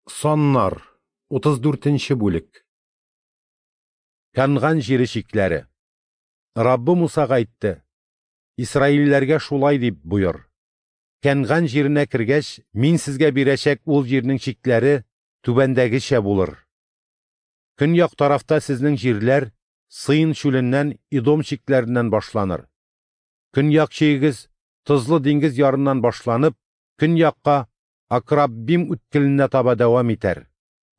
Саннар, 34 нче бүлек. Кәнган җире чикләре. Раббы Мусага әйтте: Исраилләргә шулай дип боер: Кәнган җиренә кергәч, мин сезгә бирәчәк ул җирнең чикләре түбәндәгечә булыр. Көньяк тарафта сезнең җирләр Сыйн чүленнән Идом чикләреннән башланыр. Көньяк чигегез Тозлы диңгез ярыннан башланып, көньякка Акраббим үткеленә таба дәвам итәр.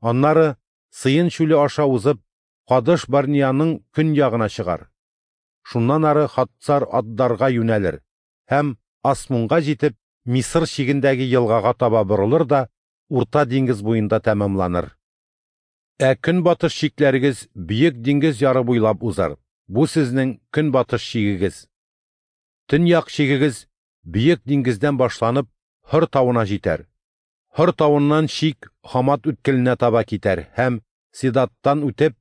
Аннары Сыен чүле аша узып, Кадыш Барниянең көньягына чыгар. Шуннан ары Хатцар Аддарга юнәлер һәм Асмунга җитеп, Мисыр чигендәге елгага таба борылыр да Урта диңгез буенда тәмамланыр. Ә көнбатыш чикләрегез Бөек диңгез яры буйлап узар. Бу сезнең көнбатыш чигегез. Төньяк чигегез Бөек диңгездән башланып, Һор тавына җитәр. Һор тавыннан чик Хамат үткеленә таба китәр һәм Седаттан үтеп,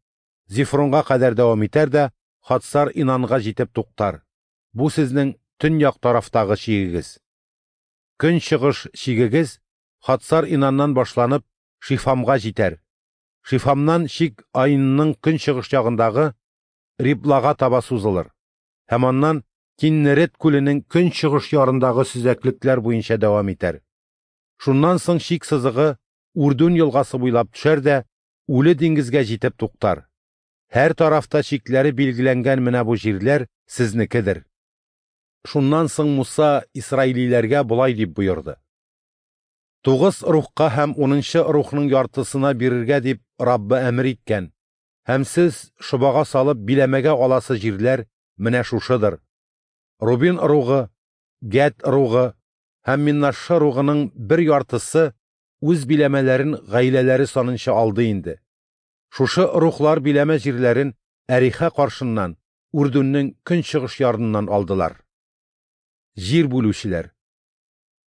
Зифронга кадәр дәвам итәр дә Хатсар Инанга җитеп туктар. Бу сезнең төньяк тарафтагы чигегез. Көнчыгыш чигегез Хатсар Инаннан башланып, Шифамга җитәр. Шифамнан чик Аинның көнчыгыш ягындагы Риблага таба сузылыр һәм аннан Киннерет күленең көнчыгыш ярындагы сөзәклекләр буенча дәвам итәр. Шуннан соң чик сызыгы Үрдүн елгасы буйлап төшәр дә Үле диңгезгә җитеп туктар. Һәр тарафта чикләре билгеләнгән менә бу җирләр сезнекедер. Шуннан соң Муса исраилиләргә болай дип боерды: Тугыз рухка һәм унынчы рухның яртысына бирергә дип Раббы әмер иткән, һәм сез шобага салып биләмәгә аласы җирләр менә шушыдыр. Рубин ыругы, Гәд ыругы һәм Миннашша ыругының бер яртысы үз биләмәләрен гаиләләре санынча алды инде. Шушы ыруглар биләмә җирләрен Әриха каршыннан, Үрдүннең көнчыгыш ярыннан алдылар. Җир бүлүчеләр.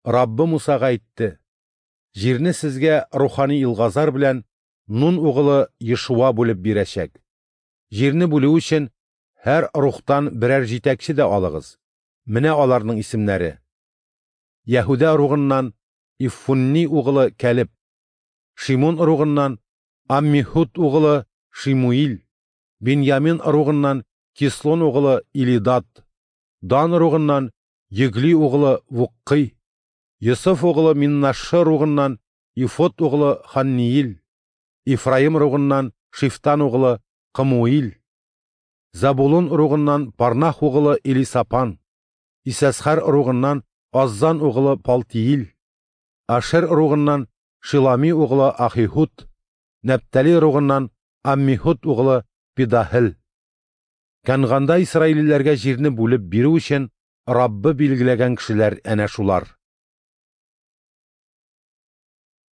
Раббы Мусага әйтте: Җирне сезгә рухани Илгазар белән Нун угылы Ешуа бүлеп бирәчәк. Җирне бүлү өчен һәр рухтан берәр җитәкче дә алыгыз. Менә аларның исемнәре: Яһүдә ыругыннан Ифунни угылы Кәлеб, Шимун ыругыннан Аммихуд угылы Шимуил, Беньямин ыругыннан Кислон угылы Илидад, Дан ыругыннан Йөгли угылы Вуккый, Йосыф угылы Миннашшы ыругыннан Ифот угылы Ханниил, Ифраим ыругыннан Шифтан угылы Кымуил, Забулун ыругыннан Парнах угылы Элисапан, Исәсхәр ыругыннан Аззан угылы Палтиил, Ашер ыругыннан Шилами угылы Ахихуд, Нәптали ыругыннан Аммихуд угылы Пидаһел. Кәнганда исраилиләргә җирне бүлеп бирү өчен Раббы билгеләгән кешеләр әнә шулар.